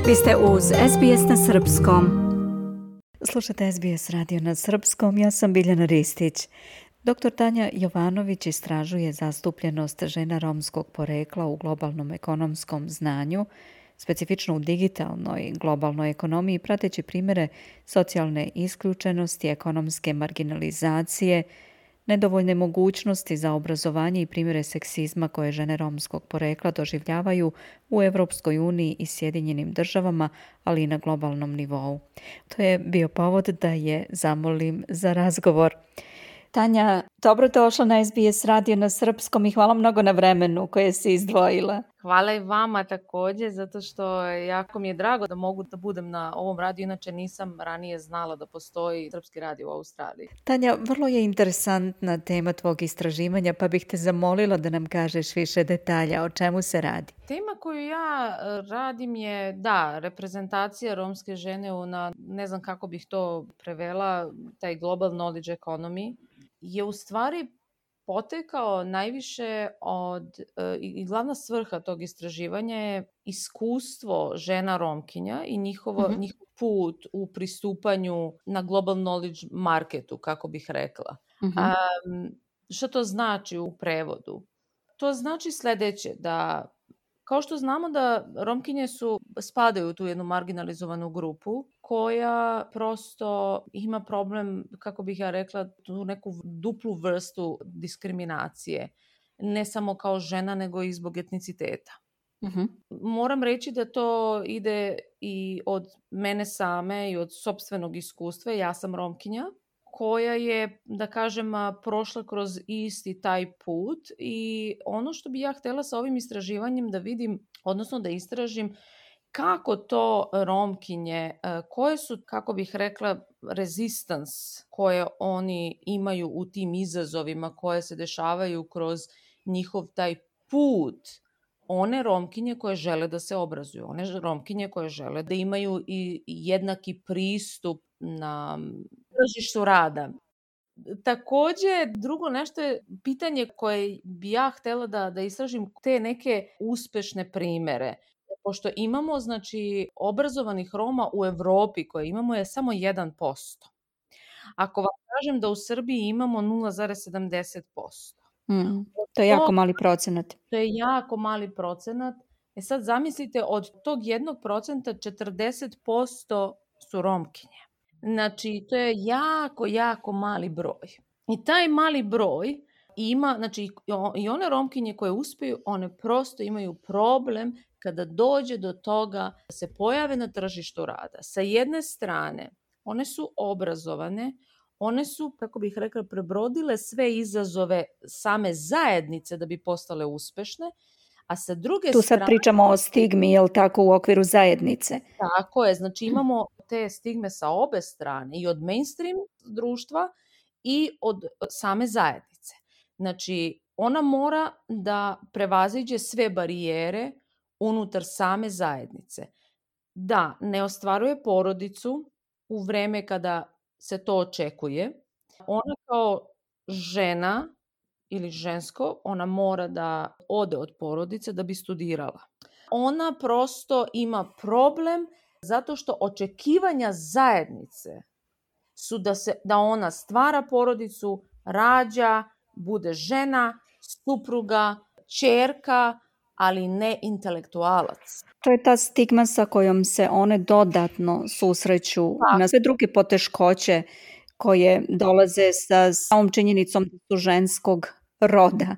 Vi ste uz SBS na Srpskom. Slušate SBS radio na Srpskom, ja sam Biljana Ristić. Dr. Tanja Jovanović istražuje zastupljenost žena romskog porekla u globalnom ekonomskom znanju, specifično u digitalnoj globalnoj ekonomiji, prateći primjere socijalne isključenosti, ekonomske marginalizacije, nedovoljne mogućnosti za obrazovanje i primjere seksizma koje žene romskog porekla doživljavaju u Evropskoj uniji i Sjedinjenim državama, ali i na globalnom nivou. To je bio povod da je zamolim za razgovor. Tanja, dobrodošla na SBS radio na Srpskom i hvala mnogo na vremenu koje si izdvojila. Hvala i vama također, zato što jako mi je drago da mogu da budem na ovom radiju, inače nisam ranije znala da postoji srpski radio u Australiji. Tanja, vrlo je interesantna tema tvog istraživanja, pa bih te zamolila da nam kažeš više detalja o čemu se radi. Tema koju ja radim je, reprezentacija romske žene ne znam kako bih to prevela, taj global knowledge economy, je u stvari potekao najviše i glavna svrha tog istraživanja je iskustvo žena Romkinja i njihov put u pristupanju na global knowledge marketu, kako bih rekla. Što to znači u prevodu? To znači sljedeće, da kao što znamo da Romkinje spadaju u tu jednu marginalizovanu grupu koja prosto ima problem, kako bih ja rekla, tu neku duplu vrstu diskriminacije. Ne samo kao žena, nego i zbog etniciteta. Moram reći da to ide i od mene same i od sopstvenog iskustva. Ja sam Romkinja koja je, da kažem, prošla kroz isti taj put i ono što bi ja htjela sa ovim istraživanjem da vidim, odnosno da istražim kako to Romkinje, koje su, kako bih rekla, resistance koje oni imaju u tim izazovima koje se dešavaju kroz njihov taj put. One Romkinje koje žele da se obrazuju, one Romkinje koje žele da imaju i jednaki pristup na tržištu rada. Također, drugo nešto je pitanje koje bi ja htjela da istražim te neke uspešne primjere. Pošto imamo, obrazovanih Roma u Evropi koje imamo je samo 1%. Ako vam kažem da u Srbiji imamo 0,70%. To je jako mali procenat. To je jako mali procenat. Sad zamislite, od tog 1% 40% su Romkinje. Znači, to je jako, jako mali broj. I taj mali broj ima, i one Romkinje koje uspiju, one prosto imaju problem kada dođe do toga da se pojave na tržištu rada. Sa jedne strane, one su obrazovane, one su, kako bih rekla, prebrodile sve izazove same zajednice da bi postale uspešne, a sa druge strane... Tu sad pričamo o stigmi, jel tako, u okviru zajednice? Tako je, imamo te stigme sa obe strane, i od mainstream društva i od same zajednice. Ona mora da prevaziđe sve barijere unutar same zajednice. Da ne ostvaruje porodicu u vreme kada se to očekuje. Ona kao žena ili žensko, ona mora da ode od porodice da bi studirala. Ona prosto ima problem zato što očekivanja zajednice su da ona stvara porodicu, rađa, bude žena, supruga, ćerka, ali ne intelektualac. To je ta stigma sa kojom se one dodatno susreću na sve druge poteškoće koje dolaze sa samom činjenicom da su ženskog roda,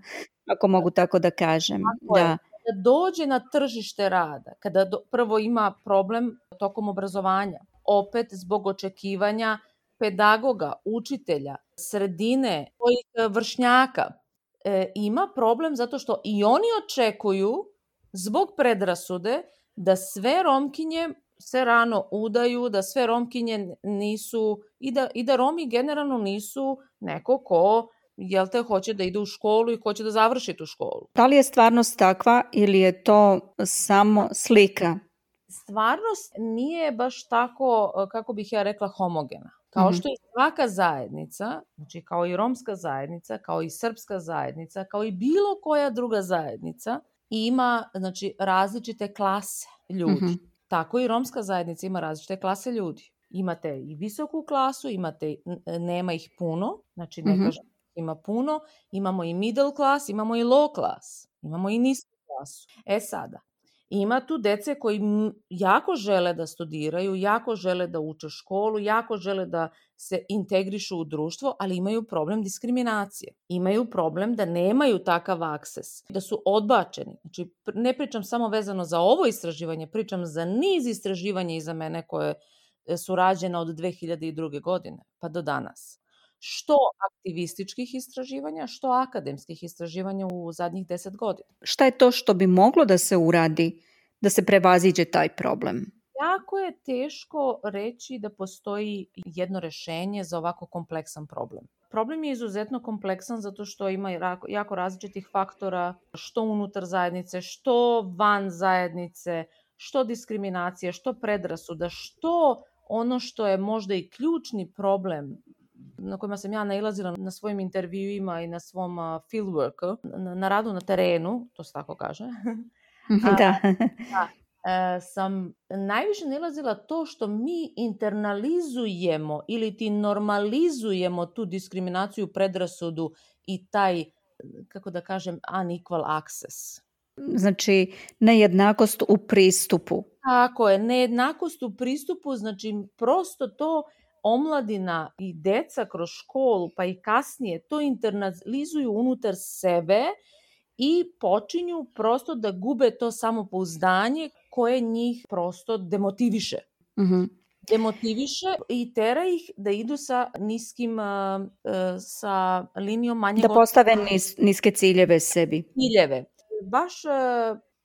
ako mogu tako da kažem. Kada dođe na tržište rada, kada prvo ima problem tokom obrazovanja, opet zbog očekivanja pedagoga, učitelja, sredine, svojih vršnjaka, ima problem zato što i oni očekuju zbog predrasude da sve Romkinje se rano udaju, da sve Romkinje nisu i da Romi generalno nisu neko ko hoće da ide u školu i hoće da završi tu školu. Da li je stvarnost takva ili je to samo slika? Stvarnost nije baš tako, kako bih ja rekla, homogena. Kao što i svaka zajednica, kao i romska zajednica, kao i srpska zajednica, kao i bilo koja druga zajednica, ima različite klase ljudi. Tako i romska zajednica ima različite klase ljudi. Imate i visoku klasu, nema ih puno, znači ne kažem ima puno, imamo i middle class, imamo i low class, imamo i nisku klasu. Sada, ima tu dece koji jako žele da studiraju, jako žele da uče školu, jako žele da se integrišu u društvo, ali imaju problem diskriminacije. Imaju problem da nemaju takav akses, da su odbačeni. Znači, ne pričam samo vezano za ovo istraživanje, pričam za niz istraživanja iza mene koje su rađene od 2002. godine pa do danas. Što aktivističkih istraživanja, što akademskih istraživanja u zadnjih 10 godina. Šta je to što bi moglo da se uradi da se prevaziđe taj problem? Jako je teško reći da postoji jedno rešenje za ovako kompleksan problem. Problem je izuzetno kompleksan zato što ima jako različitih faktora, što unutar zajednice, što van zajednice, što diskriminacije, što predrasuda, što ono što je možda i ključni problem na kojima sam ja nailazila na svojim intervjuima i na svom fieldworku, na radu na terenu, to se tako kaže. Da. Sam najviše nailazila to što mi internalizujemo ili ti normalizujemo tu diskriminaciju, predrasudu i taj, kako da kažem, unequal access. Znači, nejednakost u pristupu. Tako je, nejednakost u pristupu, znači prosto to omladina i deca kroz školu, pa i kasnije, to internalizuju unutar sebe i počinju prosto da gube to samopouzdanje koje njih prosto demotiviše. Demotiviše i tera ih da idu sa niskim, sa linijom manjeg... Da postave niske ciljeve sebi. Ciljeve. Baš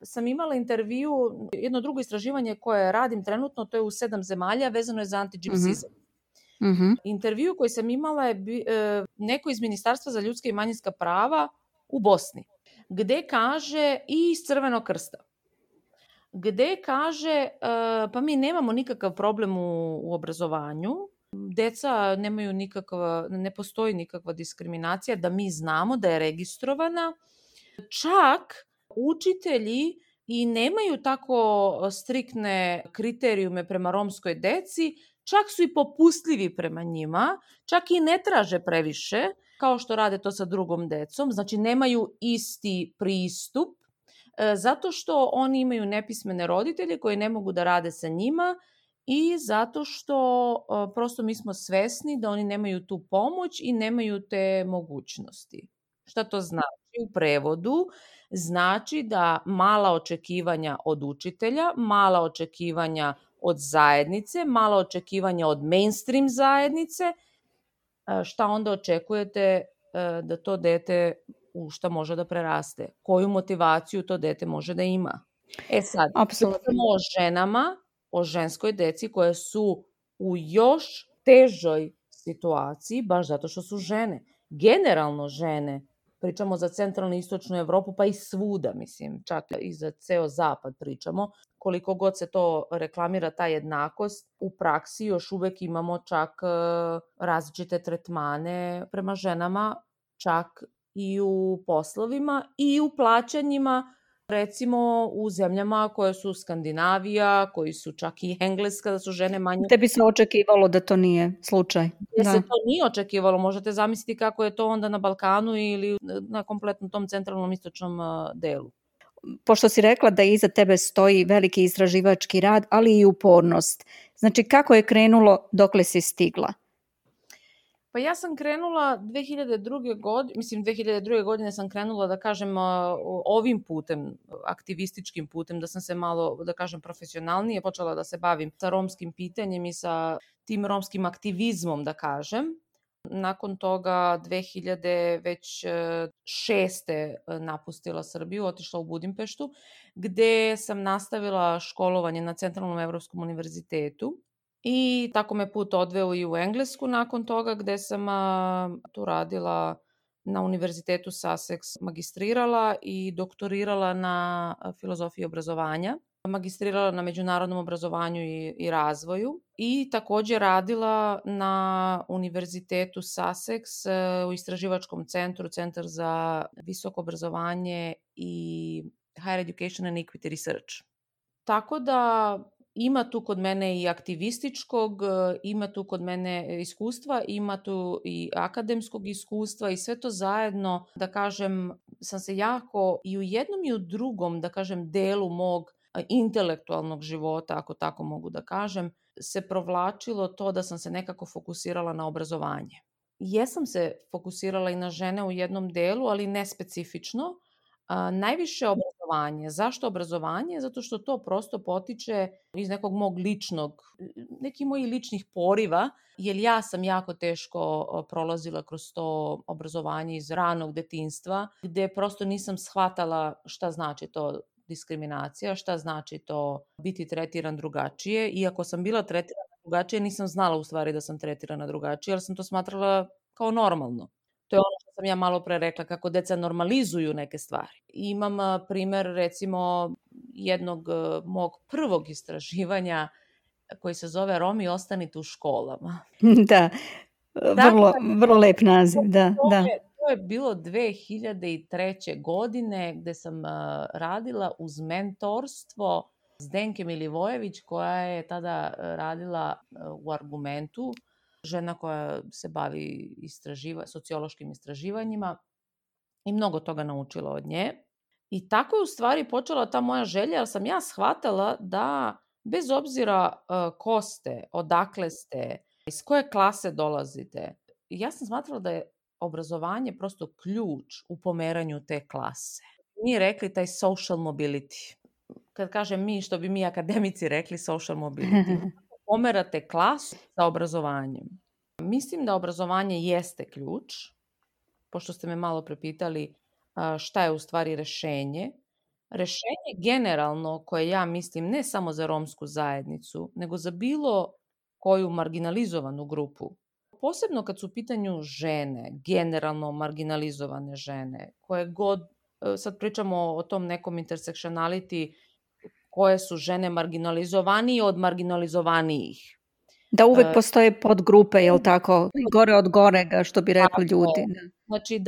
sam imala intervju, jedno drugo istraživanje koje radim trenutno, to je u 7 zemalja, vezano je za anti-gypsizam. Intervju koji sam imala je neko iz Ministarstva za ljudska i manjinska prava u Bosni, gde kaže, i iz Crvenog krsta, gde kaže, pa mi nemamo nikakav problem u obrazovanju, deca nemaju ne postoji nikakva diskriminacija, da mi znamo da je registrovana, čak učitelji i nemaju tako striktne kriterijume prema romskoj deci, čak su i popustljivi prema njima, čak i ne traže previše, kao što rade to sa drugom decom, znači nemaju isti pristup, zato što oni imaju nepismene roditelje koji ne mogu da rade sa njima i zato što prosto mi smo svesni da oni nemaju tu pomoć i nemaju te mogućnosti. Šta to znači? U prevodu znači da mala očekivanja od učitelja, mala očekivanja od zajednice, mala očekivanja od mainstream zajednice, šta onda očekujete da to dete u šta može da preraste? Koju motivaciju to dete može da ima? Sad, pričamo o ženama, o ženskoj deci koje su u još težoj situaciji, baš zato što su žene. Generalno žene, pričamo za centralnu i istočnu Evropu, pa i svuda, mislim, čak i za ceo zapad pričamo. Koliko god se to reklamira, ta jednakost, u praksi još uvek imamo čak različite tretmane prema ženama, čak i u poslovima i u plaćanjima, recimo u zemljama koje su Skandinavija, koji su čak i Engleska, da su žene manje... Te bi se očekivalo da to nije slučaj. Gde se to nije očekivalo, možete zamisliti kako je to onda na Balkanu ili na kompletnom tom centralnom istočnom delu. Pošto si rekla da iza tebe stoji veliki istraživački rad, ali i upornost. Znači, kako je krenulo, dokle si stigla? Pa ja sam krenula 2002. godine sam krenula, da kažem, ovim putem, aktivističkim putem, da sam se malo, da kažem, profesionalnije počela da se bavim sa romskim pitanjem i sa tim romskim aktivizmom, da kažem. Nakon toga 2006. napustila Srbiju, otišla u Budimpeštu, gde sam nastavila školovanje na Centralnom evropskom univerzitetu. I tako me put odveo i u Englesku nakon toga, gde sam tu radila na Univerzitetu Sussex, magistrirala i doktorirala na filozofiji obrazovanja. Magistrirala na međunarodnom obrazovanju i razvoju i takođe radila na Univerzitetu Sussex u istraživačkom centru, Centar za visoko obrazovanje i Higher Education and Equity Research. Tako da ima tu kod mene i aktivističkog, ima tu kod mene iskustva, ima tu i akademskog iskustva i sve to zajedno, da kažem, sam se jako i u jednom i u drugom, da kažem, delu mog intelektualnog života, ako tako mogu da kažem, se provlačilo to da sam se nekako fokusirala na obrazovanje. Jesam se fokusirala i na žene u jednom delu, ali ne specifično. Najviše obrazovanje. Zašto obrazovanje? Zato što to prosto potiče iz nekog mog ličnog, nekih mojih ličnih poriva, jer ja sam jako teško prolazila kroz to obrazovanje iz ranog detinjstva, gde prosto nisam shvatala šta znači to diskriminacija, šta znači to biti tretiran drugačije. Iako sam bila tretirana drugačije, nisam znala u stvari da sam tretirana drugačije, jer sam to smatrala kao normalno. To je ono što sam ja malo pre rekla, kako deca normalizuju neke stvari. Imam primer, recimo, jednog mog prvog istraživanja koji se zove Romi ostanite u školama. Da, vrlo lep naziv, da. To je bilo 2003. godine gde sam radila uz mentorstvo Zdenke Milivojević, koja je tada radila u Argumentu, žena koja se bavi sociološkim istraživanjima i mnogo toga naučila od nje. I tako je u stvari počela ta moja želja, jer sam ja shvatala da bez obzira ko ste, odakle ste, iz koje klase dolazite, ja sam smatrala da je obrazovanje prosto ključ u pomeranju te klase. Mi rekli taj social mobility. Kad kažem mi, što bi mi akademici rekli social mobility. Pomerate klasu sa obrazovanjem. Mislim da obrazovanje jeste ključ, pošto ste me malo prepitali šta je u stvari rešenje. Rešenje generalno, koje ja mislim ne samo za romsku zajednicu, nego za bilo koju marginalizovanu grupu, posebno kad su u pitanju žene, generalno marginalizovane žene, koje god, sad pričamo o tom nekom intersektionality, koje su žene marginalizovanije od marginalizovanijih. Da uvek postoje podgrupe, jel tako? Gore od gorega, što bi rekli ljudi. Znači,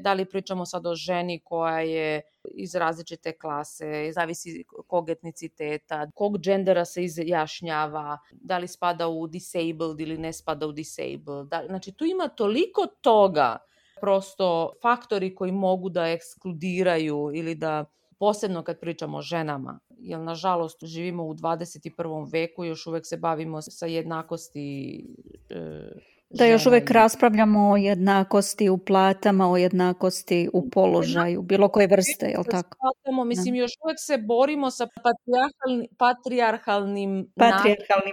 da li pričamo sad o ženi koja je iz različite klase, zavisi kog etniciteta, kog džendera se izjašnjava, da li spada u disabled ili ne spada u disabled. Znači, tu ima toliko toga, prosto faktori koji mogu da ekskludiraju ili da, posebno kad pričamo o ženama, jer nažalost živimo u 21. veku i još uvek se bavimo sa jednakosti da još uvek raspravljamo o jednakosti u platama, o jednakosti u položaju, bilo koje vrste, je li tako? Mislim, još uvek se borimo sa patrijarhalnim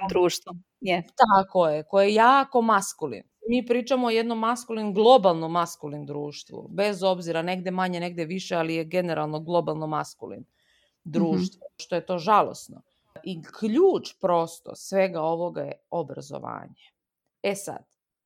društvom. Tako je, koje je jako maskulin. Mi pričamo o jednom globalno maskulin društvu, bez obzira, negde manje, negde više, ali je generalno globalno maskulin društvo, što je to žalosno. I ključ prosto svega ovoga je obrazovanje. Sad,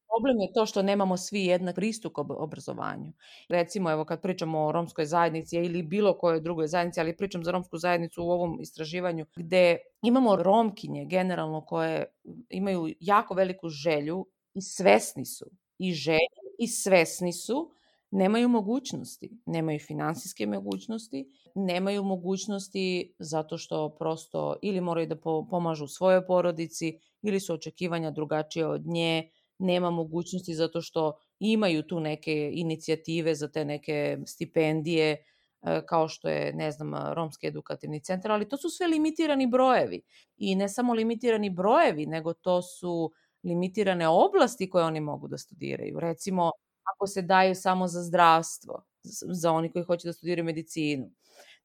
problem je to što nemamo svi jednak pristup obrazovanju. Recimo, evo kad pričamo o romskoj zajednici ili bilo kojoj drugoj zajednici, ali pričam za romsku zajednicu u ovom istraživanju, gde imamo romkinje generalno koje imaju jako veliku želju i svesni su, i želju i svesni su, nemaju mogućnosti, nemaju finansijske mogućnosti, nemaju mogućnosti zato što prosto ili moraju da pomažu svojoj porodici ili su očekivanja drugačije od nje, nema mogućnosti zato što imaju tu neke inicijative za te neke stipendije, kao što je, ne znam, Romski edukativni centar, ali to su sve limitirani brojevi. I ne samo limitirani brojevi, nego to su limitirane oblasti koje oni mogu da studiraju. Recimo, ako se daju samo za zdravstvo, za oni koji hoće da studiraju medicinu.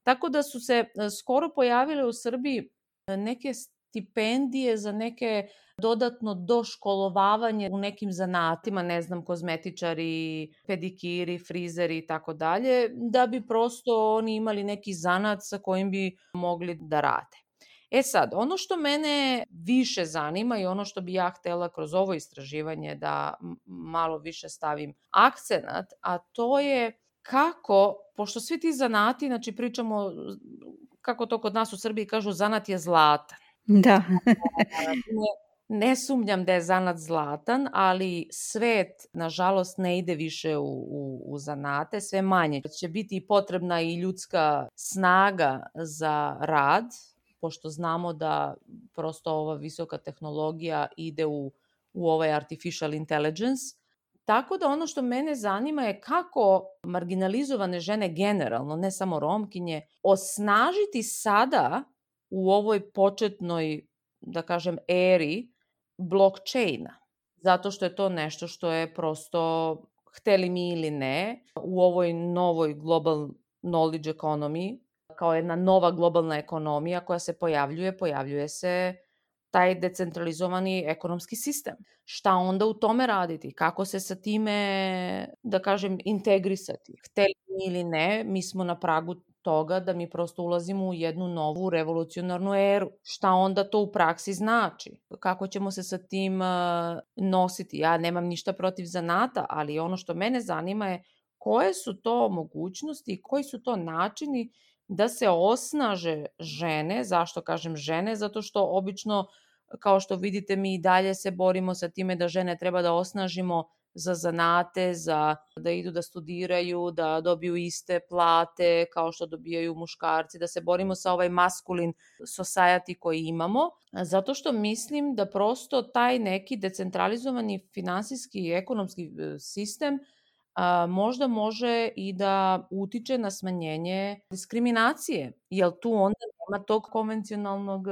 Tako da su se skoro pojavile u Srbiji neke stipendije za neke dodatno doškolovavanje u nekim zanatima, ne znam, kozmetičari, pedikiri, frizeri i tako dalje, da bi prosto oni imali neki zanat sa kojim bi mogli da rade. Sad, ono što mene više zanima i ono što bi ja htela kroz ovo istraživanje da malo više stavim akcenat, a to je kako, pošto svi ti zanati, znači pričamo, kako to kod nas u Srbiji kažu, zanat je zlatan. Da. Ne sumnjam da je zanat zlatan, ali svet, nažalost, ne ide više u zanate, sve manje. Će biti potrebna i ljudska snaga za rad, pošto znamo da prosto ova visoka tehnologija ide u ovaj artificial intelligence. Tako da ono što mene zanima je kako marginalizovane žene generalno, ne samo Romkinje, osnažiti sada u ovoj početnoj, da kažem, eri blockchaina. Zato što je to nešto što je prosto, hteli mi ili ne, u ovoj novoj global knowledge economy, kao jedna nova globalna ekonomija koja se pojavljuje se taj decentralizovani ekonomski sistem. Šta onda u tome raditi? Kako se sa time, da kažem, integrisati? Hteli mi ili ne, mi smo na pragu toga da mi prosto ulazimo u jednu novu revolucionarnu eru. Šta onda to u praksi znači? Kako ćemo se sa tim nositi? Ja nemam ništa protiv zanata, ali ono što mene zanima je koje su to mogućnosti i koji su to načini da se osnaže žene. Zašto kažem žene? Zato što obično, kao što vidite, mi i dalje se borimo sa time da žene treba da osnažimo za zanate, za da idu da studiraju, da dobiju iste plate kao što dobijaju muškarci, da se borimo sa ovaj maskulin society koji imamo, zato što mislim da prosto taj neki decentralizovani finansijski i ekonomski sistem možda može i da utiče na smanjenje diskriminacije, jer tu onda nema tog konvencionalnog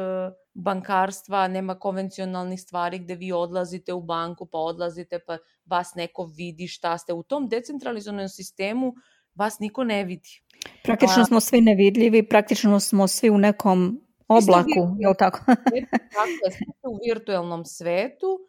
bankarstva, nema konvencionalnih stvari gde vi odlazite u banku, pa odlazite, pa vas neko vidi šta ste. U tom decentralizovanom sistemu vas niko ne vidi. Praktično smo svi nevidljivi, praktično smo svi u nekom oblaku, je li tako? Tako je, svi ste u virtuelnom svetu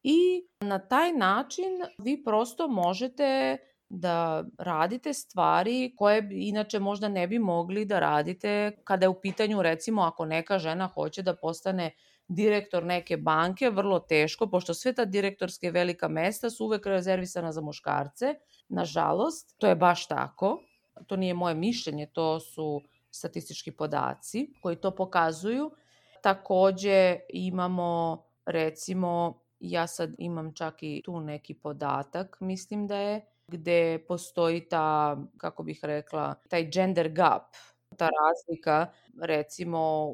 i na taj način vi prosto možete da radite stvari koje inače možda ne bi mogli da radite kada je u pitanju, recimo, ako neka žena hoće da postane direktor neke banke, vrlo teško, pošto sve ta direktorske velika mesta su uvek rezervisana za muškarce. Nažalost, to je baš tako. To nije moje mišljenje, to su statistički podaci koji to pokazuju. Takođe imamo, recimo, ja sad imam čak i tu neki podatak, mislim da je, gde postoji ta, kako bih rekla, taj gender gap, ta razlika, recimo,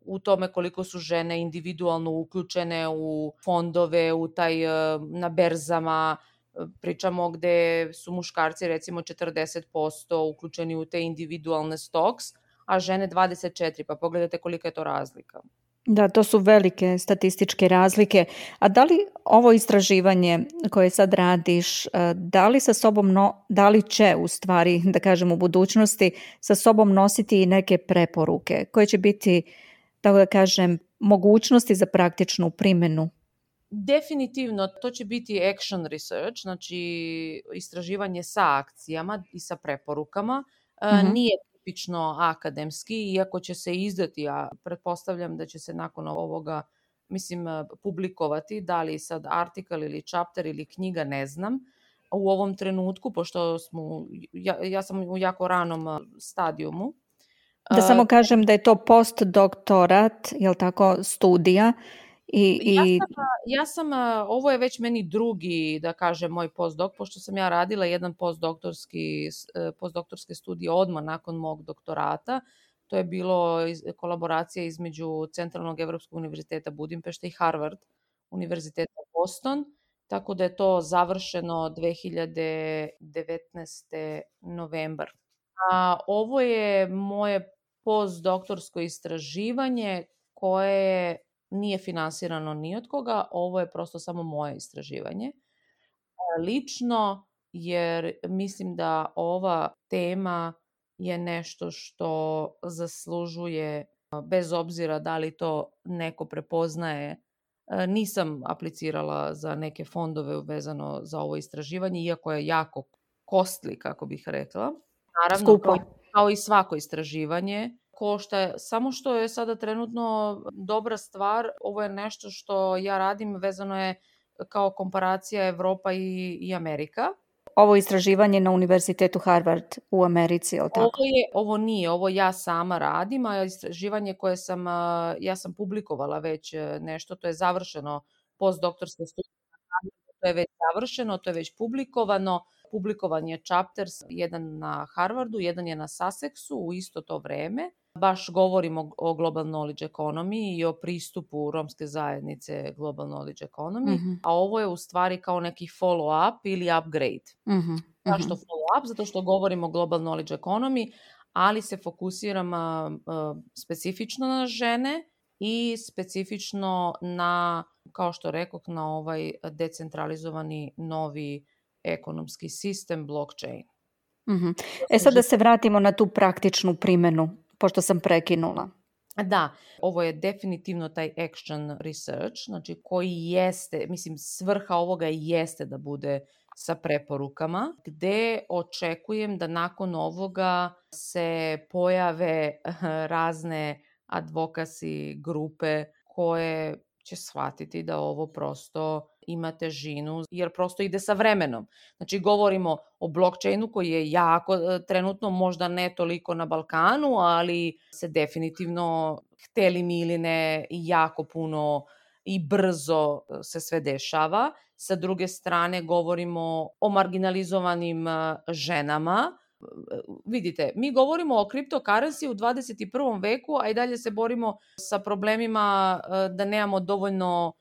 u tome koliko su žene individualno uključene u fondove, u taj, na berzama, pričamo gde su muškarci recimo 40% uključeni u te individualne stocks, a žene 24%, pa pogledajte kolika je to razlika. Da, to su velike statističke razlike. A da li ovo istraživanje koje sad radiš, da li će u stvari, da kažem, u budućnosti sa sobom nositi i neke preporuke koje će biti, tako da kažem, mogućnosti za praktičnu primjenu? Definitivno, to će biti action research, znači istraživanje sa akcijama i sa preporukama. Nije tipično akademski, iako će se izdati, a pretpostavljam da će se nakon ovoga, mislim, publikovati, da li sad artikal ili chapter ili knjiga, ne znam, u ovom trenutku, pošto ja sam u jako ranom stadijumu. Da samo kažem da je to postdoktorat, je li tako, studija? Ja sam, ovo je već meni drugi, da kažem, moj postdoc, pošto sam ja radila jedan postdoktorske studije odmah nakon mog doktorata. To je bilo kolaboracija između Centralnog evropskog univerziteta Budimpešta i Harvard univerziteta Boston, tako da je to završeno 2019. novembar. Ovo je moje postdoktorsko istraživanje koje nije finansirano ni od koga, ovo je prosto samo moje istraživanje. Lično, jer mislim da ova tema je nešto što zaslužuje, bez obzira da li to neko prepoznaje. Nisam aplicirala za neke fondove vezano za ovo istraživanje, iako je jako costly, kako bih rekla. Naravno, kao i svako istraživanje, košta, samo što je sada trenutno dobra stvar, ovo je nešto što ja radim, vezano je kao komparacija Evropa i Amerika. Ovo istraživanje na Univerzitetu Harvard u Americi, je li tako? Ovo ja sama radim, a istraživanje koje ja sam publikovala već nešto, to je završeno, postdoktorske studije, to je već završeno, to je već publikovano. Publikovan je chapter, jedan na Harvardu, jedan je na Sussexu u isto to vreme. baš govorimo o Global Knowledge Economy i o pristupu romske zajednice Global Knowledge Economy, a ovo je u stvari kao neki follow-up ili upgrade. Zašto follow-up? Zato što govorimo o Global Knowledge Economy, ali se fokusiram specifično na žene i specifično na, kao što rekoh, na ovaj decentralizovani novi ekonomski sistem blockchain. Sad da se vratimo na tu praktičnu primjenu, pošto sam prekinula. Da, ovo je definitivno taj action research, znači koji jeste, mislim, svrha ovoga jeste da bude sa preporukama, gde očekujem da nakon ovoga se pojave razne advocacy grupe koje će shvatiti da ovo prosto ima težinu, jer prosto ide sa vremenom. Znači, govorimo o blockchainu koji je jako, trenutno možda ne toliko na Balkanu, ali se definitivno, hteli mi ili ne, jako puno i brzo se sve dešava. Sa druge strane, govorimo o marginalizovanim ženama. Vidite, mi govorimo o cryptocurrency u 21. veku, a i dalje se borimo sa problemima da nemamo dovoljno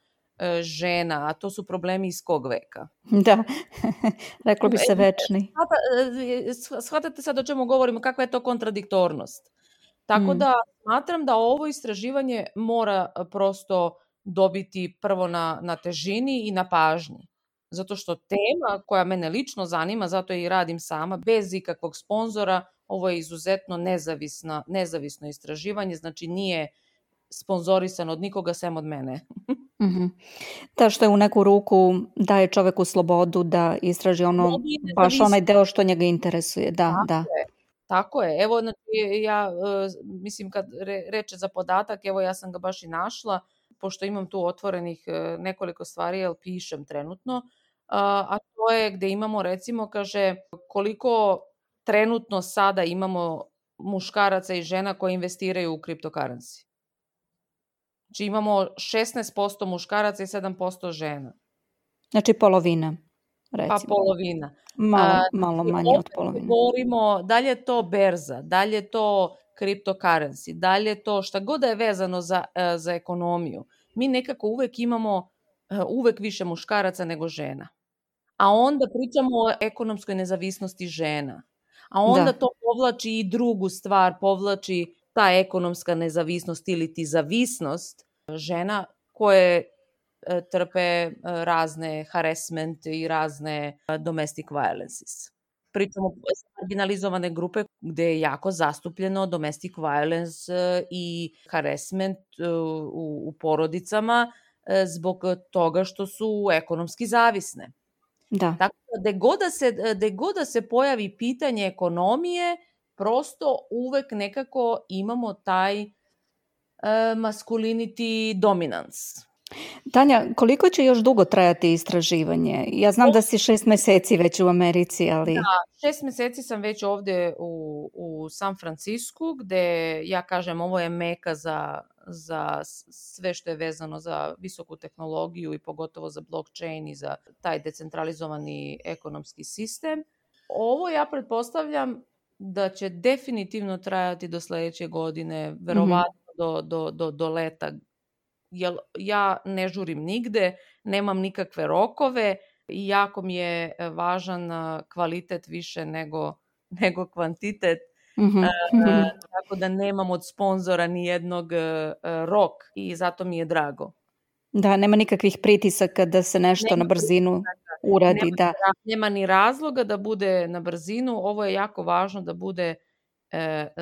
žena, a to su problemi iz kog veka? Da, reklo bi se večni. Shvatate sad o čemu govorimo, kakva je to kontradiktornost. Tako da smatram da ovo istraživanje mora prosto dobiti prvo na težini i na pažnji. Zato što tema koja mene lično zanima, zato i radim sama, bez ikakvog sponzora, ovo je izuzetno nezavisno istraživanje, znači nije sponzorisan od nikoga sem od mene. Da, što je u neku ruku daje čoveku slobodu da istraži baš onaj deo što njega interesuje. Tako je. Evo, znači, ja mislim kad reče za podatak, evo ja sam ga baš i našla, pošto imam tu otvorenih nekoliko stvari, jer pišem trenutno, a to je gde imamo, recimo, kaže, koliko trenutno sada imamo muškaraca i žena koji investiraju u cryptocurrency. Znači imamo 16% muškaraca i 7% žena. Znači polovina, recimo. Pa polovina. Malo manje od polovine. Govorimo, da li je to berza, da li je to cryptocurrency, da li je to šta god da je vezano za ekonomiju. Mi nekako uvek imamo više muškaraca nego žena. A onda pričamo o ekonomskoj nezavisnosti žena. A onda to povlači i drugu stvar, povlači ta ekonomska nezavisnost ili ti zavisnost žena koje trpe razne harassment i razne domestic violences. Pričamo marginalizovane grupe gde je jako zastupljeno domestic violence i harassment u porodicama zbog toga što su ekonomski zavisne. Da. Tako da gde god da se pojavi pitanje ekonomije, prosto uvek nekako imamo taj masculinity dominance. Tanja, koliko će još dugo trajati istraživanje? Ja znam da si 6 meseci već u Americi, ali... Da, 6 meseci sam već ovde u San Francisku, gde ja kažem ovo je meka za sve što je vezano za visoku tehnologiju i pogotovo za blockchain i za taj decentralizovani ekonomski sistem. Ovo ja pretpostavljam da će definitivno trajati do sledeće godine, verovatno do leta. Jer ja ne žurim nigde, nemam nikakve rokove i jako mi je važan kvalitet više nego kvantitet. Tako da nemam od sponzora ni jednog rok i zato mi je drago. Da, nema nikakvih pritisaka da se nešto na brzinu uradi. Nema ni razloga da bude na brzinu. Ovo je jako važno da bude,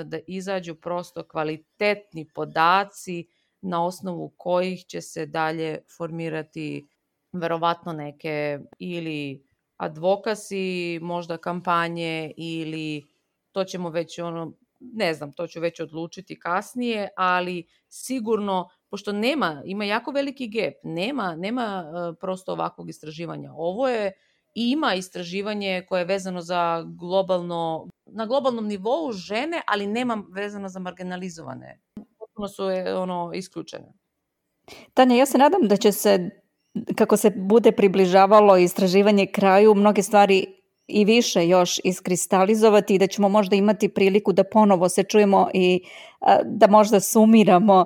da izađu prosto kvalitetni podaci na osnovu kojih će se dalje formirati verovatno neke ili advokasi, možda kampanje ili to ćemo već ne znam, to ću već odlučiti kasnije, ali sigurno, pošto ima jako veliki gap, nema prosto ovakvog istraživanja. Ovo je, ima istraživanje koje je vezano za na globalnom nivou žene, ali nema vezano za marginalizovane. Potpuno su isključene. Tanja, ja se nadam da će se, kako se bude približavalo istraživanje kraju, mnoge stvari i više još iskristalizovati i da ćemo možda imati priliku da ponovo se čujemo i da možda sumiramo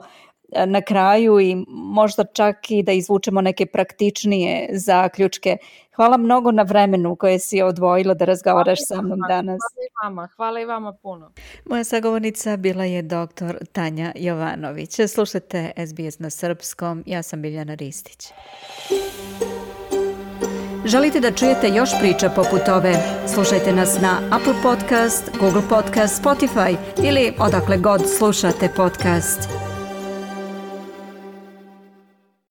na kraju i možda čak i da izvučemo neke praktičnije zaključke. Hvala mnogo na vremenu koje si odvojila da razgovaraš sa mnom danas. Hvala i vama puno. Moja sagovornica bila je dr. Tanja Jovanović. Slušajte SBS na srpskom. Ja sam Biljana Ristić. Želite da čujete još priča poput ove? Slušajte nas na Apple Podcast, Google Podcast, Spotify ili odakle god slušate podcast.